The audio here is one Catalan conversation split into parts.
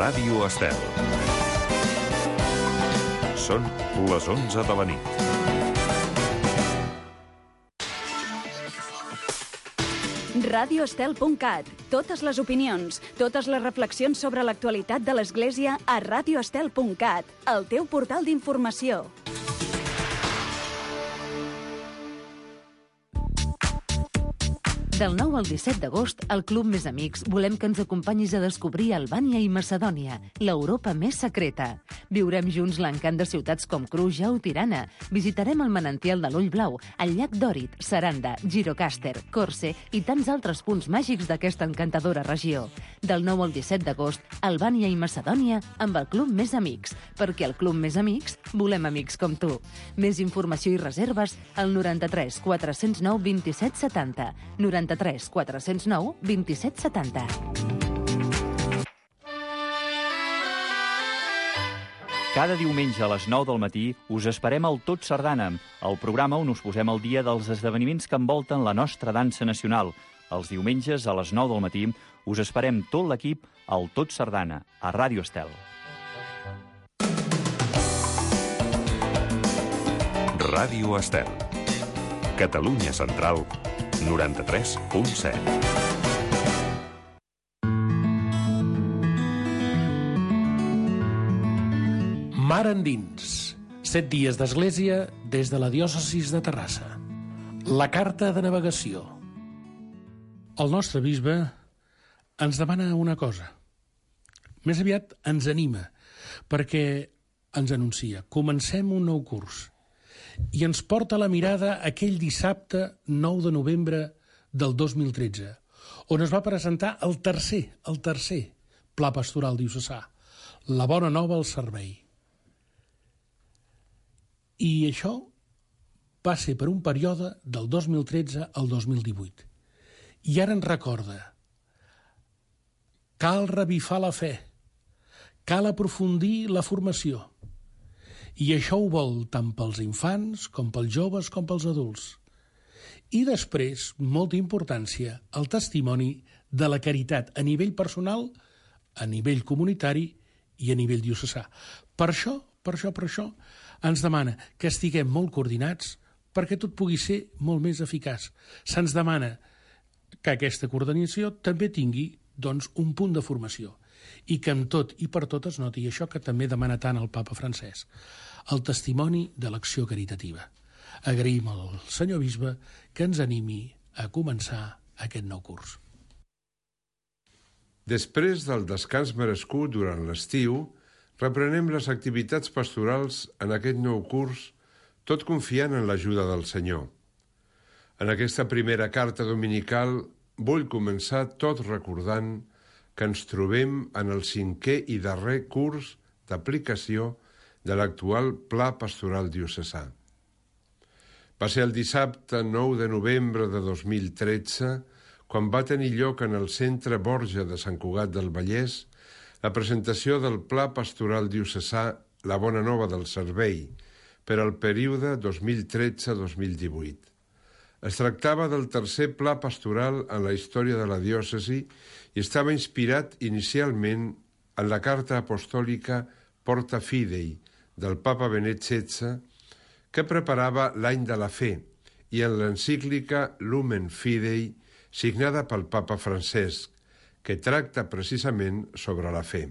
Ràdio Estel. Són les 11 de la nit. radioestel.cat. Totes les opinions, totes les reflexions sobre l'actualitat de l'Església a radioestel.cat, el teu portal d'informació. Del 9 al 17 d'agost, al Club Més Amics volem que ens acompanyis a descobrir Albània i Macedònia, l'Europa més secreta. Viurem junts l'encant de ciutats com Kruja o Tirana. Visitarem el manantial de l'Ull Blau, el llac Dòrit, Saranda, Gjirokàster, Korce i tants altres punts màgics d'aquesta encantadora regió. Del 9 al 17 d'agost, Albània i Macedònia amb el Club Més Amics, perquè al Club Més Amics volem amics com tu. Més informació i reserves al 93 409 27 70, 93 409 27 70. Cada diumenge a les 9 del matí us esperem al Tot Sardana, el programa on us posem al dia dels esdeveniments que envolten la nostra dansa nacional. Els diumenges a les 9 del matí us esperem tot l'equip al Tot Sardana, a Ràdio Estel. Ràdio Estel. Catalunya Central, 93.7. Mar endins. 7 dies d'església des de la diòcesis de Terrassa. La carta de navegació. El nostre bisbe ens demana una cosa. Més aviat ens anima, perquè ens anuncia. Comencem un nou curs. I ens porta la mirada aquell dissabte 9 de novembre del 2013, on es va presentar el tercer Pla Pastoral Diocesà, la Bona Nova al Servei. I això va ser per un període del 2013 al 2018. I ara ens recorda: cal revifar la fe, cal aprofundir la formació. I això ho vol tant pels infants, com pels joves, com pels adults. I després, molta importància, el testimoni de la caritat a nivell personal, a nivell comunitari i a nivell diocesà. Per això, ens demana que estiguem molt coordinats perquè tot pugui ser molt més eficaç. Se'ns demana que aquesta coordinació també tingui, doncs, un punt de formació i que amb tot i per tot es noti això que també demana tant el papa Francesc, el testimoni de l'acció caritativa. Agraïm al senyor bisbe que ens animi a començar aquest nou curs. Després del descans merescut durant l'estiu, reprenem les activitats pastorals en aquest nou curs, tot confiant en l'ajuda del Senyor. En aquesta primera carta dominical vull començar tot recordant que ens trobem en el 5è i darrer curs d'aplicació de l'actual Pla Pastoral Diocesà. Va ser el dissabte 9 de novembre de 2013 quan va tenir lloc en el Centre Borja de Sant Cugat del Vallès la presentació del Pla Pastoral Diocesà La Bona Nova del Servei per al període 2013-2018. Es tractava del tercer pla pastoral en la història de la diòcesi i estava inspirat inicialment en la carta apostòlica Porta Fidei del papa Benet XVI, que preparava l'any de la fe, i en l'encíclica Lumen Fidei, signada pel papa Francesc, que tracta precisament sobre la fe.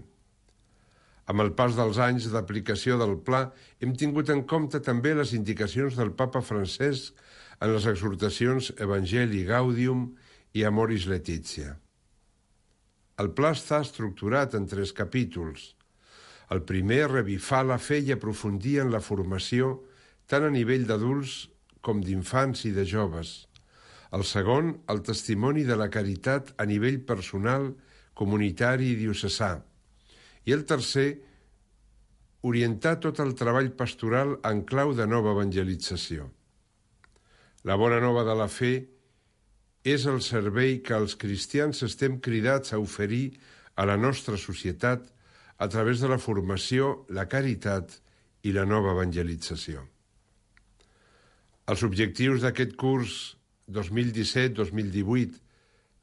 Amb el pas dels anys d'aplicació del pla, hem tingut en compte també les indicacions del papa Francesc en les exhortacions Evangelii Gaudium i Amoris Laetitia. El pla està estructurat en 3 capítols. El primer, revifar la fe i aprofundir en la formació tant a nivell d'adults com d'infants i de joves. El segon, el testimoni de la caritat a nivell personal, comunitari i diocesà. I el tercer, orientar tot el treball pastoral en clau de nova evangelització. La bona nova de la fe és el servei que els cristians estem cridats a oferir a la nostra societat a través de la formació, la caritat i la nova evangelització. Els objectius d'aquest curs 2017-2018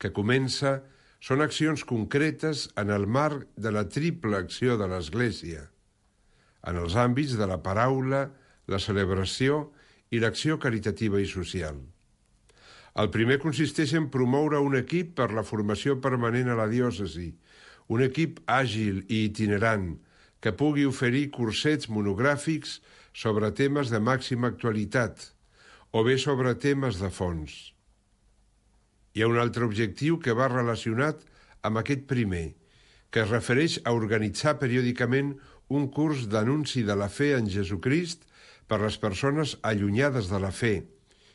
que comença són accions concretes en el marc de la triple acció de l'Església, en els àmbits de la paraula, la celebració i l'acció caritativa i social. El primer consisteix en promoure un equip per la formació permanent a la diòcesi, un equip àgil i itinerant que pugui oferir cursets monogràfics sobre temes de màxima actualitat o bé sobre temes de fons. Hi ha un altre objectiu que va relacionat amb aquest primer, que es refereix a organitzar periòdicament un curs d'anunci de la fe en Jesucrist per les persones allunyades de la fe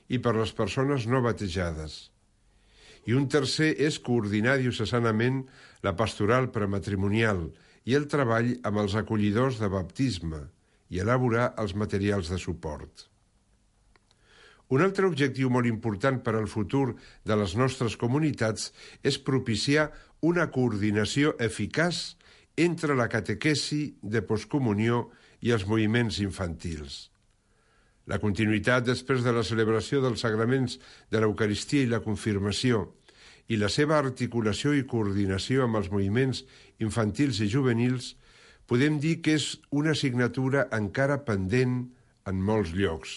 i per les persones no batejades. I un tercer és coordinar diocesanament la pastoral prematrimonial i el treball amb els acollidors de baptisme i elaborar els materials de suport. Un altre objectiu molt important per al futur de les nostres comunitats és propiciar una coordinació eficaç entre la catequesi de postcomunió i els moviments infantils. La continuïtat després de la celebració dels sagraments de l'Eucaristia i la confirmació i la seva articulació i coordinació amb els moviments infantils i juvenils podem dir que és una assignatura encara pendent en molts llocs.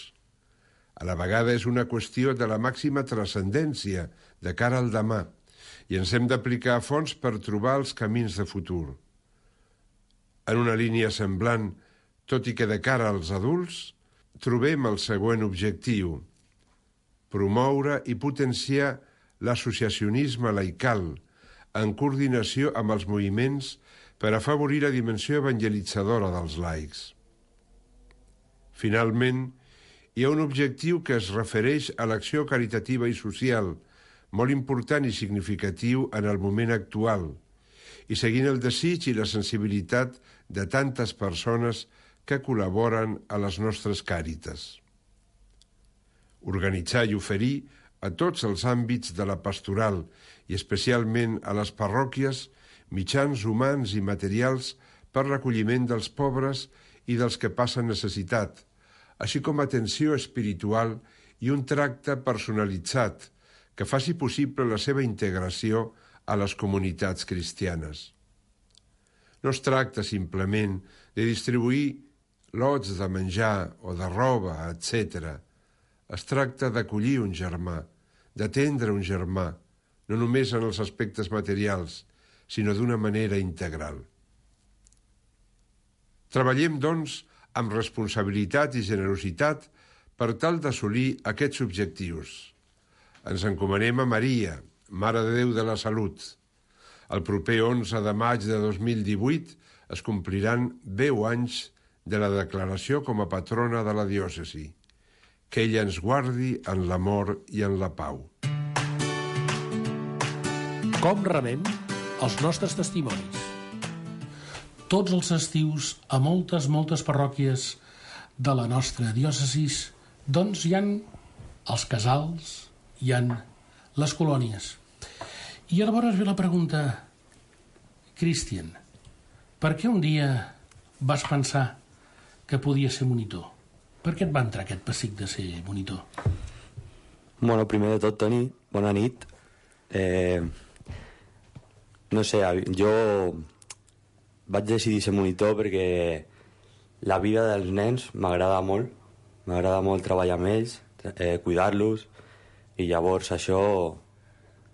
A la vegada és una qüestió de la màxima transcendència de cara al demà i ens hem d'aplicar a fons per trobar els camins de futur. En una línia semblant, tot i que de cara als adults, trobem el següent objectiu: promoure i potenciar l'associacionisme laical en coordinació amb els moviments per afavorir la dimensió evangelitzadora dels laics. Finalment, hi ha un objectiu que es refereix a l'acció caritativa i social, molt important i significatiu en el moment actual, i seguint el desig i la sensibilitat de tantes persones que col·laboren a les nostres càritas. Organitzar i oferir a tots els àmbits de la pastoral i especialment a les parròquies mitjans humans i materials per l'acolliment dels pobres i dels que passen necessitat, així com atenció espiritual i un tracte personalitzat que faci possible la seva integració a les comunitats cristianes. No es tracta simplement de distribuir lots de menjar o de roba, etc. Es tracta d'acollir un germà, d'atendre un germà, no només en els aspectes materials, sinó d'una manera integral. Treballem, doncs, amb responsabilitat i generositat per tal d'assolir aquests objectius. Ens encomanem a Maria, Mare de Déu de la Salut. El proper 11 de maig de 2018 es compliran 10 anys de la declaració com a patrona de la diòcesi. Que ella ens guardi en l'amor i en la pau. Com rebem els nostres testimonis? Tots els estius, a moltes parròquies de la nostra diòcesi, doncs hi ha els casals, hi ha les colònies. I llavors ve la pregunta: Cristian, per què un dia vas pensar que podia ser monitor? Per què et va entrar aquest pessic de ser monitor? Bueno, primer de tot, Toni, bona nit. No sé, jo vaig decidir ser monitor perquè la vida dels nens m'agrada molt. M'agrada molt treballar amb ells, cuidar-los, i llavors això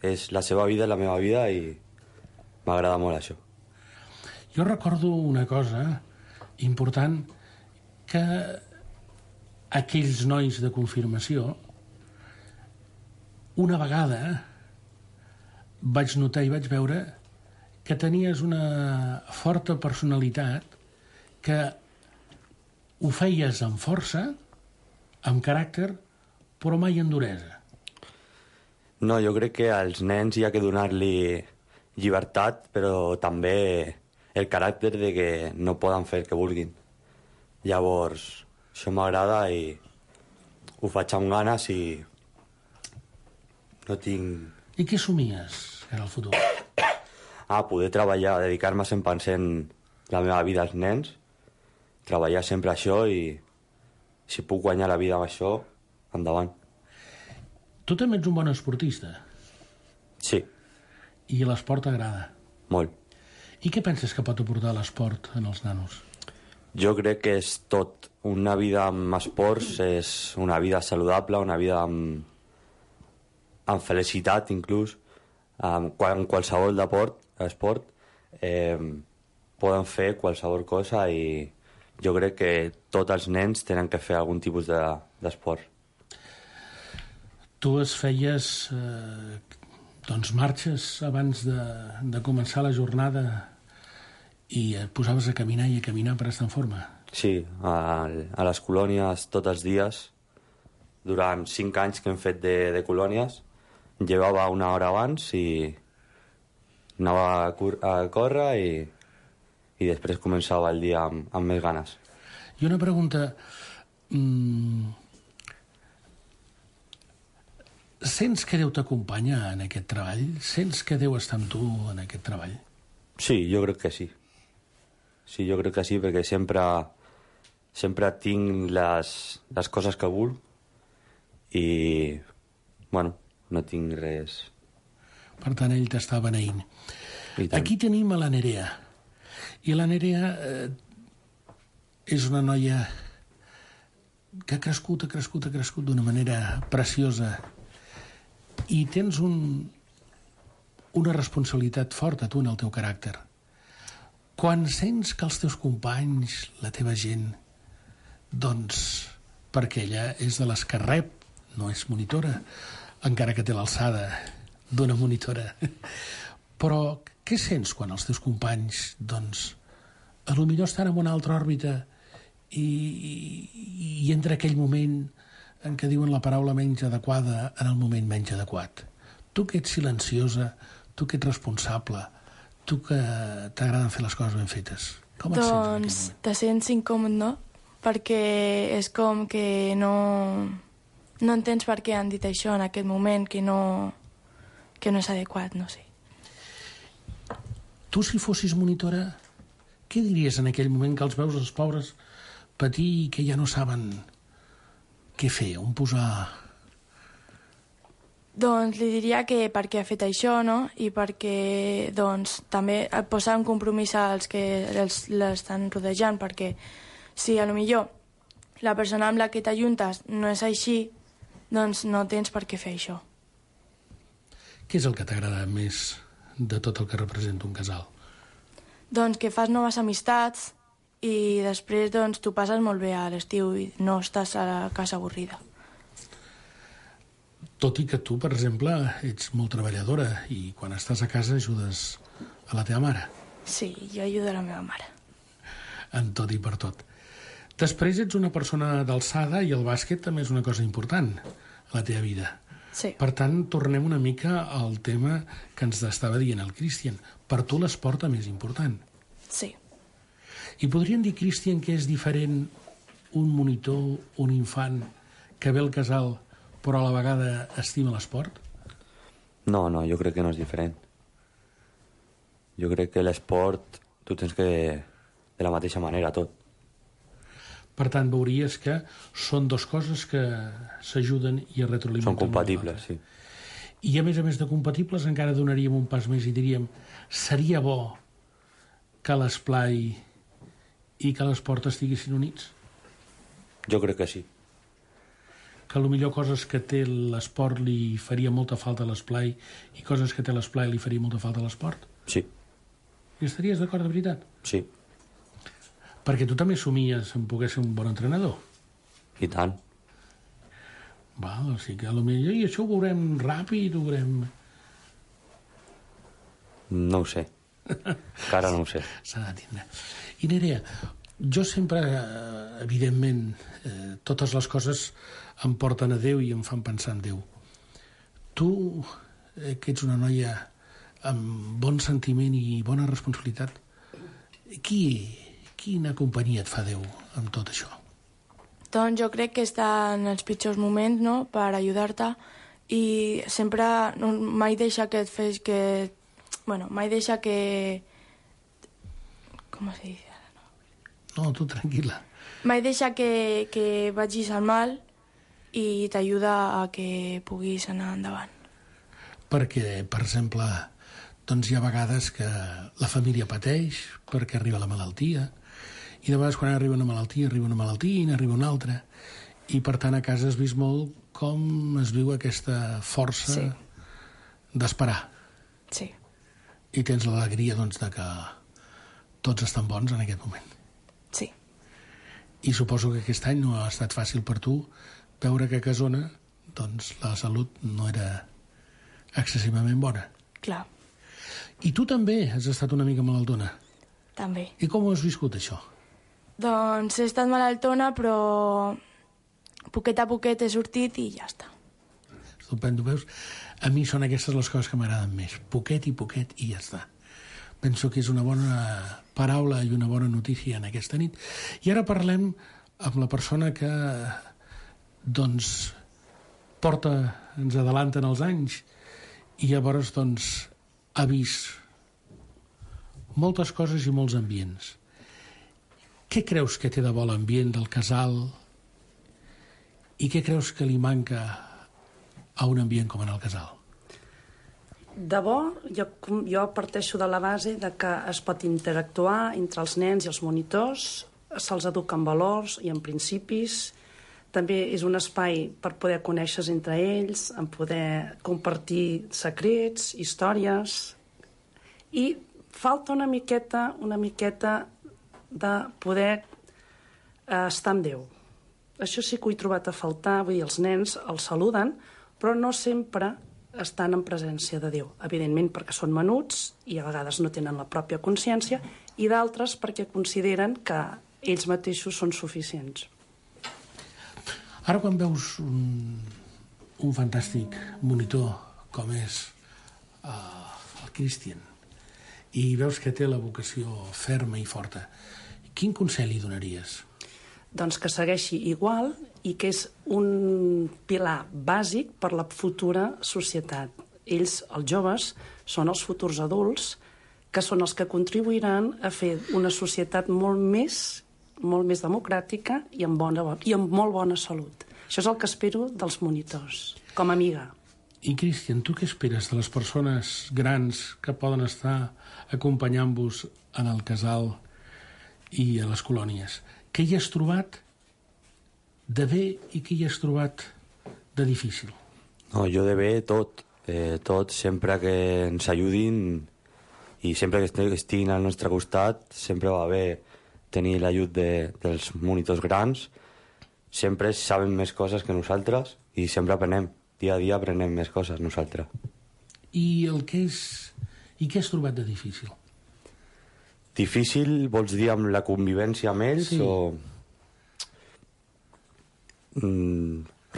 és la seva vida, la meva vida, i m'agrada molt això. Jo recordo una cosa important, que aquells nois de confirmació, una vegada vaig notar i vaig veure que tenies una forta personalitat, que ho feies amb força, amb caràcter, però mai amb duresa. No, jo crec que als nens hi ha que donar-li llibertat, però també el caràcter de que no poden fer el que vulguin. Llavors, això m'agrada i ho faig amb ganes i no tinc... I què somies en el futur? Poder treballar, dedicar-me 100% la meva vida als nens, treballar sempre això, i si puc guanyar la vida amb això, endavant. Tu també ets un bon esportista. Sí. I l'esport t'agrada? Molt. I què penses que pot aportar l'esport en els nanos? Jo crec que és tot. Una vida amb esports és una vida saludable, una vida amb felicitat, inclús. En qualsevol esport poden fer qualsevol cosa i jo crec que tots els nens tenen que fer algun tipus d'esport. Tu es feies marxes abans de començar la jornada i et posaves a caminar i a caminar per estar en forma? Sí, a les colònies tots els dies. Durant 5 anys que hem fet de colònies, llevava una hora abans i anava a córrer i després començava el dia amb més ganes. I una pregunta... Sents que Déu t'acompanya en aquest treball? Sents que Déu està amb tu en aquest treball? Sí, jo crec que sí. Sí, jo crec que sí, perquè sempre tinc les coses que vull i, bueno, no tinc res. Per tant, ell t'està beneint. Aquí tenim a la Nerea. I la Nerea és una noia que ha crescut d'una manera preciosa. I tens una responsabilitat forta, tu, en el teu caràcter. Quan sents que els teus companys, la teva gent, doncs, perquè ella és de les que rep, no és monitora, encara que té l'alçada d'una monitora. Però què sents quan els teus companys, doncs, a lo millor estan en una altra òrbita i entra aquell moment en què diuen la paraula menys adequada en el moment menys adequat? Tu que ets silenciosa, tu que ets responsable, tu que t'agraden fer les coses ben fetes, com et sents en aquell moment? Doncs te sents incòmode, no? Perquè és com que no entens per què han dit això en aquest moment, que no és adequat, no sé. Tu, si fossis monitora, què diries en aquell moment que els veus els pobres patir i que ja no saben què fer, on posar? Doncs li diria que perquè ha fet això, no? I perquè, doncs, també posar un compromís als que l'estan rodejant, perquè si a lo millor la persona amb la que t'ajuntes no és així, doncs no tens per què fer això. Què és el que t'agrada més de tot el que representa un casal? Doncs que fas noves amistats i després doncs tu passes molt bé a l'estiu i no estàs a la casa avorrida. Tot i que tu, per exemple, ets molt treballadora i quan estàs a casa ajudes a la teva mare. Sí, jo ajudo a la meva mare. En tot i per tot. Després ets una persona d'alçada i el bàsquet també és una cosa important a la teva vida. Sí. Per tant, tornem una mica al tema que ens estava dient el Cristian. Per tu l'esport també és important. Sí. I podríem dir, Cristian, que és diferent un monitor, un infant, que ve al casal però a la vegada estima l'esport? No, jo crec que no és diferent. Jo crec que l'esport tu tens que de la mateixa manera tot. Per tant, veuries que són dues coses que s'ajuden i es retroalimenten. Són compatibles, sí. I a més de compatibles encara donaríem un pas més i diríem seria bo que l'esplai i que l'esport estiguessin units? Jo crec que sí. Que potser coses que té l'esport li faria molta falta a l'esplai i coses que té l'esplai li faria molta falta a l'esport? Sí. I estaries d'acord de veritat? Sí. Perquè tu també somies en poder ser un bon entrenador. I tant. Val, o sigui que potser i això ho veurem ràpid, ho veurem... No ho sé. Encara no ho sé. S'ha de tindre. I Nerea, jo sempre, evidentment, totes les coses em porten a Déu i em fan pensar en Déu. Tu, que ets una noia amb bon sentiment i bona responsabilitat, quina companyia et fa Déu amb tot això? Doncs jo crec que està en els pitjors moments, no?, per ajudar-te i sempre mai deixa que et fes que... Bueno, mai deixa que... Com se dice? No, tu tranquil·la. Mai deixa que vagis al mal i t'ajuda a que puguis anar endavant. Perquè, per exemple, doncs hi ha vegades que la família pateix perquè arriba la malaltia, i de vegades quan arriba una malaltia i n'arriba una altra, i per tant a casa has vist molt com es viu aquesta força d'esperar. Sí. I tens l'alegria, doncs, de que tots estan bons en aquest moment. Sí. I suposo que aquest any no ha estat fàcil per tu veure que a Casona, doncs, la salut no era excessivament bona. Clar. I tu també has estat una mica malaltona. També. I com ho has viscut, això? Doncs he estat malaltona, però poquet a poquet he sortit i ja està. Estupendo, veus? A mi són aquestes les coses que m'agraden més. Poquet i ja està. Penso que és una bona paraula i una bona notícia en aquesta nit. I ara parlem amb la persona que, doncs, ens adelanten els anys i llavors, doncs, ha vist moltes coses i molts ambients. Què creus que té de bo l'ambient del casal i què creus que li manca a un ambient com en el casal? De bo, jo parteixo de la base de que es pot interactuar entre els nens i els monitors, se'ls educa en valors i en principis, també és un espai per poder conèixer entre ells, en poder compartir secrets, històries, i falta una miqueta de poder estar amb Déu. Això sí que ho he trobat a faltar, vull dir, els nens els saluden, però no sempre estan en presència de Déu. Evidentment perquè són menuts i a vegades no tenen la pròpia consciència, i d'altres perquè consideren que ells mateixos són suficients. Ara quan veus un fantàstic monitor com és el Christian i veus que té la vocació ferma i forta, quin consell li donaries? Doncs que segueixi igual i que és un pilar bàsic per la futura societat. Ells, els joves, són els futurs adults que són els que contribuiran a fer una societat molt més democràtica i amb molt bona salut. Això és el que espero dels monitors, com a amiga. I, Christian, tu què esperes de les persones grans que poden estar acompanyant-vos en el casal i a les colònies? Què hi has trobat de bé i què hi has trobat de difícil? No, jo de bé tot, sempre que ens ajudin i sempre que estiguin al nostre costat, sempre va bé tenir l'ajut dels monitors grans, sempre saben més coses que nosaltres i sempre aprenem, dia a dia aprenem més coses nosaltres. I què has trobat de difícil? Difícil vols dir amb la convivència amb ells o...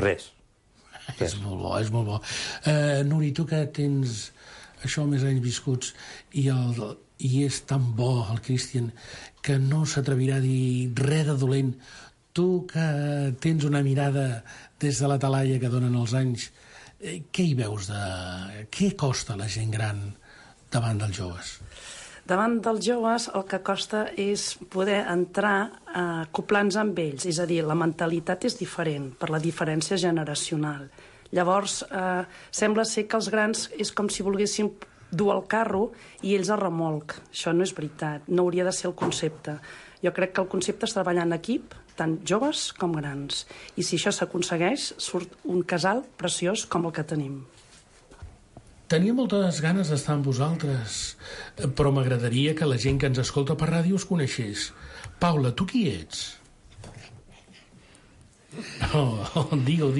Res. És molt bo, és molt bo. Nuri, tu que tens això més anys viscuts i és tan bo el Christian que no s'atrevirà a dir res de dolent, tu que tens una mirada des de la talaia que donen els anys, què hi veus què costa la gent gran davant dels joves? Davant dels joves el que costa és poder entrar acoplant-nos amb ells, és a dir, la mentalitat és diferent per la diferència generacional. Llavors, sembla ser que els grans és com si volguessin dur el carro i ells a remolc. Això no és veritat, no hauria de ser el concepte. Jo crec que el concepte és treballar en equip, tant joves com grans. I si això s'aconsegueix, surt un casal preciós com el que tenim. Tenia moltes ganes d'estar amb vosaltres, però m'agradaria que la gent que ens escolta per ràdio us coneixés. Paula, tu qui ets? Digue-ho,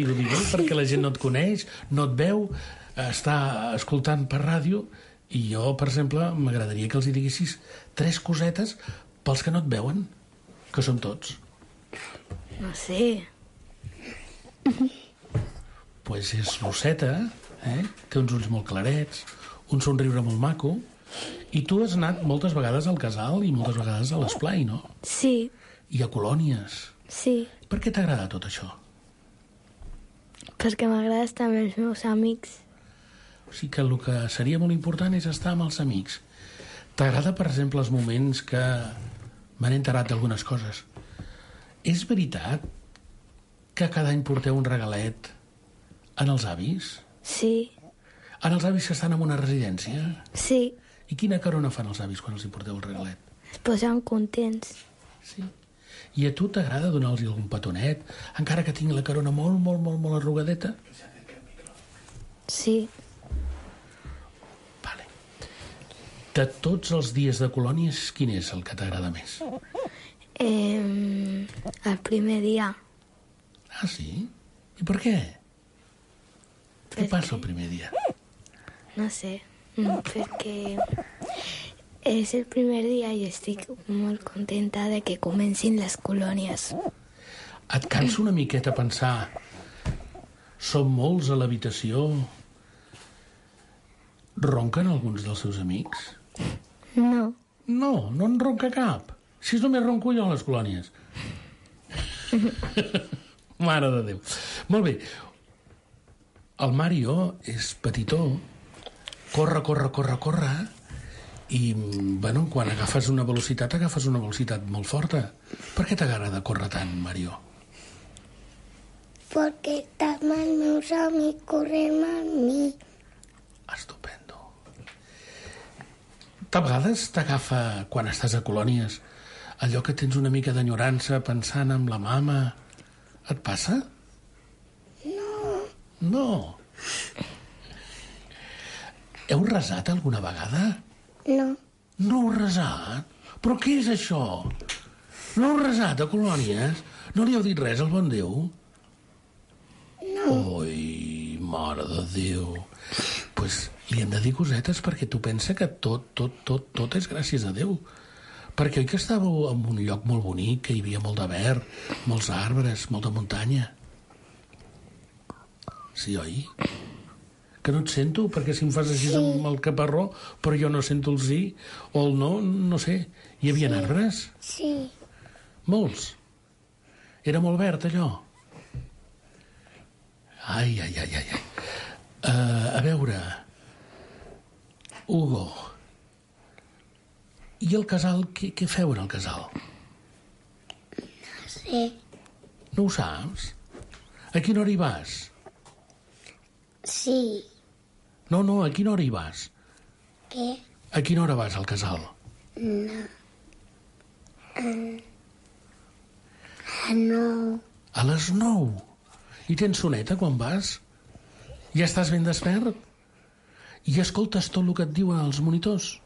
perquè la gent no et coneix, no et veu, està escoltant per ràdio, i jo, per exemple, m'agradaria que els hi diguessis 3 cosetes pels que no et veuen, que són tots. No sé. Pues és rosseta, té uns ulls molt clarets, un somriure molt maco, i tu has anat moltes vegades al casal i moltes vegades a l'esplai, no? Sí. I a colònies. Sí. Per què t'agrada tot això? Perquè m'agrada estar amb els meus amics. O sigui que el que seria molt important és estar amb els amics. T'agrada, per exemple, els moments que m'han enterat d'algunes coses? És veritat que cada any porteu un regalet en els avis? Sí. Ara els avis que estan en una residència? Sí, I quina carona fan els avis quan els hi porteu el regalet? es posen contents. Sí. I a tu t'agrada donar-los algun petonet, encara que tingui la carona molt arrugadeta? Sí, Vale. De tots els dies de colònies, quin és el que t'agrada més? el primer dia. Ah, sí? I per què? Què passa el primer dia? No sé, perquè és el primer dia i estic molt contenta de que comencin les colònies. Et cansa una miqueta pensar som molts a l'habitació? Ronquen alguns dels seus amics? No. No en ronca cap. Si només ronco jo a les colònies. Mare de Déu. Molt bé. El Mario és petitó, corre, i, bueno, quan agafes una velocitat molt forta. Per què t'agrada córrer tant, Mario? Porque están meus amics corrent amb mi. Estupendo. De vegades t'agafa, quan estàs a colònies, allò que tens una mica d'enyorança pensant en la mama. Et passa? No. Heu resat alguna vegada? No. No heu resat? Però què és això? No heu resat a colònies? No li heu dit res al bon Déu? No. Oi, mare de Déu. Pues li hem de dir cosetes perquè tu pensa que tot és gràcies a Déu. Perquè oi que estàveu en un lloc molt bonic, que hi havia molt de verd, molts arbres, molta muntanya? Sí, oi? Que no et sento, perquè si em fas així amb el caparró, però jo no sento el sí o el no sé. Hi havia arbres? Sí. Molts? Era molt verd, allò? Ai. A veure... Hugo... I el casal, què feu en el casal? No sé. No ho saps? A quina hora hi vas? Sí. No, a quina hora hi vas? Què? A quina hora vas al casal? No. A 9. A les 9. I tens soneta quan vas? Ja estàs ben despert? I escoltes tot el que et diuen els monitors?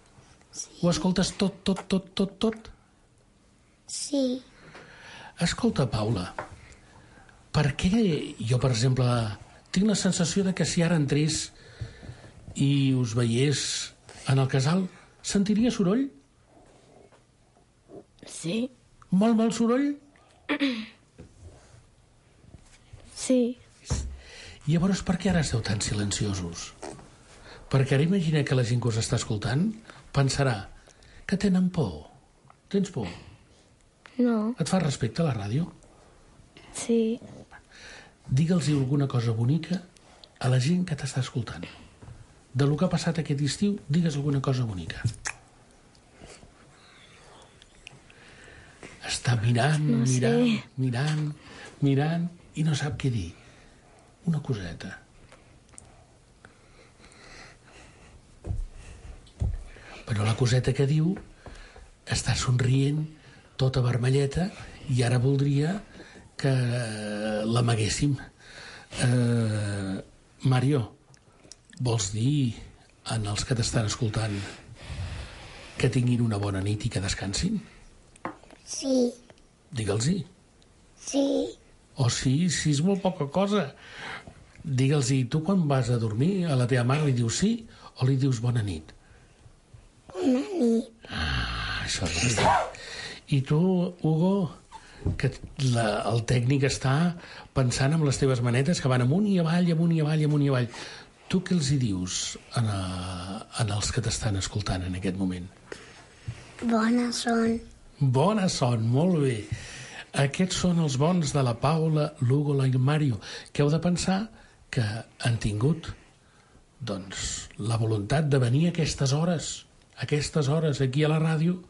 Sí. Ho escoltes tot? Sí. Escolta, Paula, per què jo, per exemple, tinc la sensació de que si ara entrés i us veiés en el casal, sentiria soroll? Sí. Molt soroll? Sí. I llavors per què ara esteu tan silenciosos? Perquè ara imagina que la gent que us està escoltant pensarà que tenen por. Tens por? No. Et fa respecte a la ràdio? Sí. Digue'ls alguna cosa bonica a la gent que t'està escoltant. De lo que ha passat aquest estiu, digues alguna cosa bonica. Està mirant, No sé. mirant i no sap què dir. Una coseta. Però la coseta que diu està somrient, tota vermelleta, i ara voldria que l'amaguéssim. Mario, vols dir en els que t'estan escoltant que tinguin una bona nit i que descansin? Sí. Digue'ls-hi. Sí. O sí, és molt poca cosa. Digue'ls-hi, tu quan vas a dormir a la teva mare li dius sí o li dius bona nit? Bona nit. Això és bé. I tu, Hugo, que el tècnic està pensant en les teves manetes que van amunt i avall. Tu què els hi dius en els que t'estan escoltant en aquest moment? Bona son. Bona son, molt bé. Aquests són els bons de la Paula, l'Hugo i el Mario, que heu de pensar que han tingut doncs, la voluntat de venir a aquestes hores aquí a la ràdio,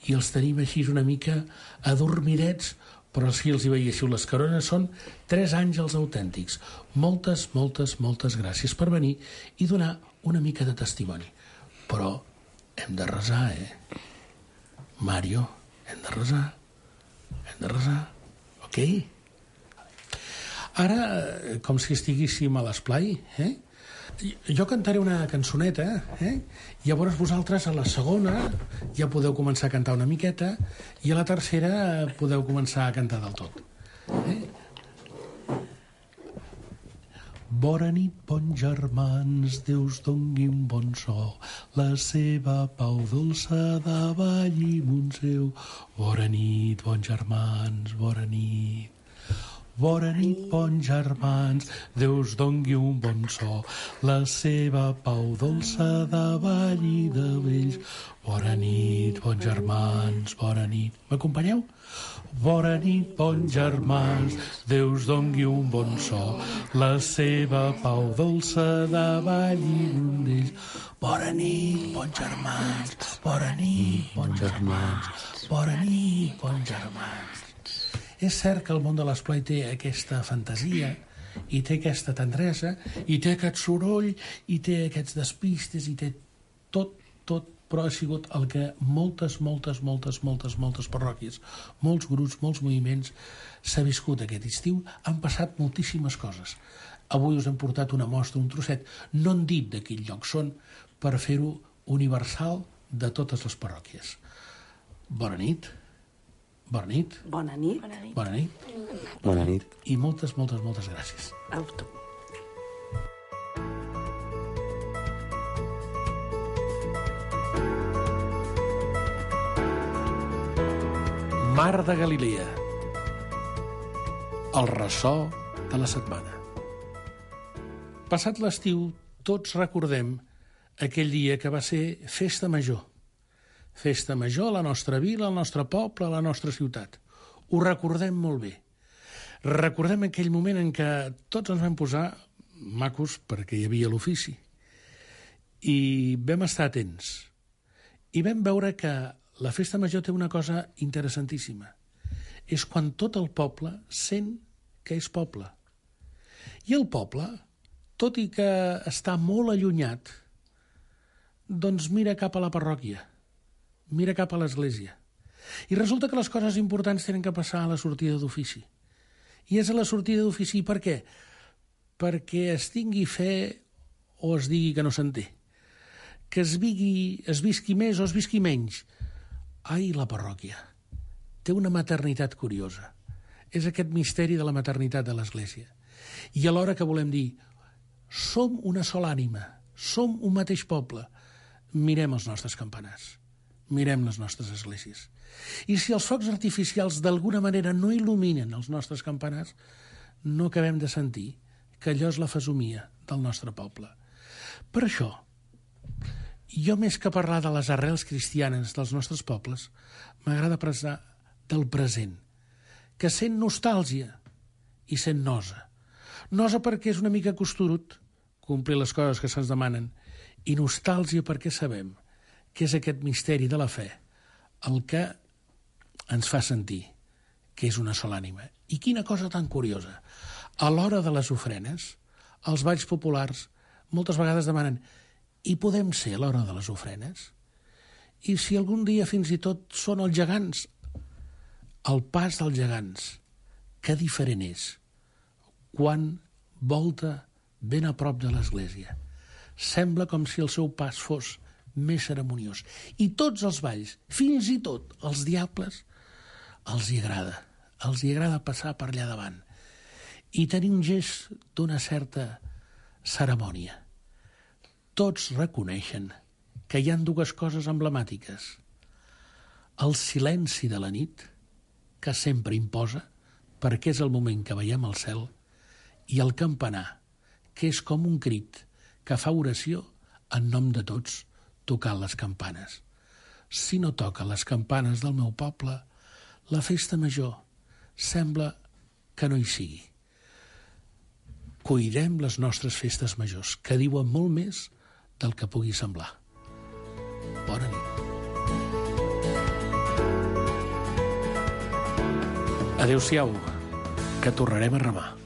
i els tenim així una mica adormidets, però si els hi veiéssiu les carones, són 3 àngels autèntics. Moltes, moltes, moltes gràcies per venir i donar una mica de testimoni. Però hem de resar, Mario, hem de resar. Hem de resar, ok? Ara, com si estiguéssim a l'esplai, jo cantaré una cançoneta, llavors vosaltres a la segona ja podeu començar a cantar una miqueta i a la tercera podeu començar a cantar del tot. Bona nit, bons germans, Déu us dongui un bon so, la seva pau dolça davalli Montseu. Bona nit, bons germans, bona nit. Bona nit, bons germans, Déu us dongui un bon so, la seva pau dolça davalli de vells. Bona nit, bons germans, bona nit. M'acompanyeu? Bona nit, bons germans, Déu us dongui un bon so, la seva pau dolça davalli d'ells. Bona nit, bons germans, bona nit, bons germans, bona nit, bons germans. És cert que el món de l'esplai té aquesta fantasia i té aquesta tendresa i té aquest soroll i té aquests despistes i té tot, però ha sigut el que moltes parròquies, molts grups, molts moviments s'ha viscut aquest estiu. Han passat moltíssimes coses. Avui us hem portat una mostra, un trosset, no han dit de quin lloc són, per fer-ho universal de totes les parròquies. Bona nit. Bona nit. Bona nit. Bona nit. Bona nit. I moltes gràcies. A tu. Mar de Galilea. El ressò de la setmana. Passat l'estiu, tots recordem aquell dia que va ser festa major. Festa major a la nostra vila, al nostre poble, a la nostra ciutat. Ho recordem molt bé. Recordem aquell moment en què tots ens vam posar macos perquè hi havia l'ofici. I vam estar atents. I vam veure que la festa major té una cosa interessantíssima. És quan tot el poble sent que és poble. I el poble, tot i que està molt allunyat, doncs mira cap a la parròquia. Mira cap a l'església. I resulta que les coses importants tenen que passar a la sortida d'ofici. I és a la sortida d'ofici per què? Perquè es tingui fe o es digui que no se'n té. Que es visqui més o es visqui menys. Ai, la parròquia. Té una maternitat curiosa. És aquest misteri de la maternitat de l'església. I alhora que volem dir, som una sola ànima, som un mateix poble. Mirem els nostres campanars. Mirem les nostres esglésies. I si els focs artificials d'alguna manera no il·luminen els nostres campanars, no acabem de sentir que allò és la fesomia del nostre poble. Per això, jo més que parlar de les arrels cristianes dels nostres pobles, m'agrada parlar del present, que sent nostàlgia i sent nosa. Nosa perquè és una mica costurut complir les coses que se'ns demanen i nostàlgia perquè sabem que és aquest misteri de la fe el que ens fa sentir que és una sola ànima. I quina cosa tan curiosa. A l'hora de les ofrenes, els balls populars moltes vegades demanen i podem ser a l'hora de les ofrenes? I si algun dia fins i tot són els gegants, el pas dels gegants, que diferent és quan volta ben a prop de l'església. Sembla com si el seu pas fos més ceremoniós. I tots els balls, fins i tot els diables, els hi agrada passar per allà davant i tenir un gest d'una certa cerimònia. Tots reconeixen que hi ha dues coses emblemàtiques. El silenci de la nit, que sempre imposa, perquè és el moment que veiem el cel, i el campanar, que és com un crit que fa oració en nom de tots, tocant les campanes. Si no toca les campanes del meu poble, la festa major sembla que no hi sigui. Cuidem les nostres festes majors, que diuen molt més del que pugui semblar. Bona nit. Adéu-siau, que tornarem a remar.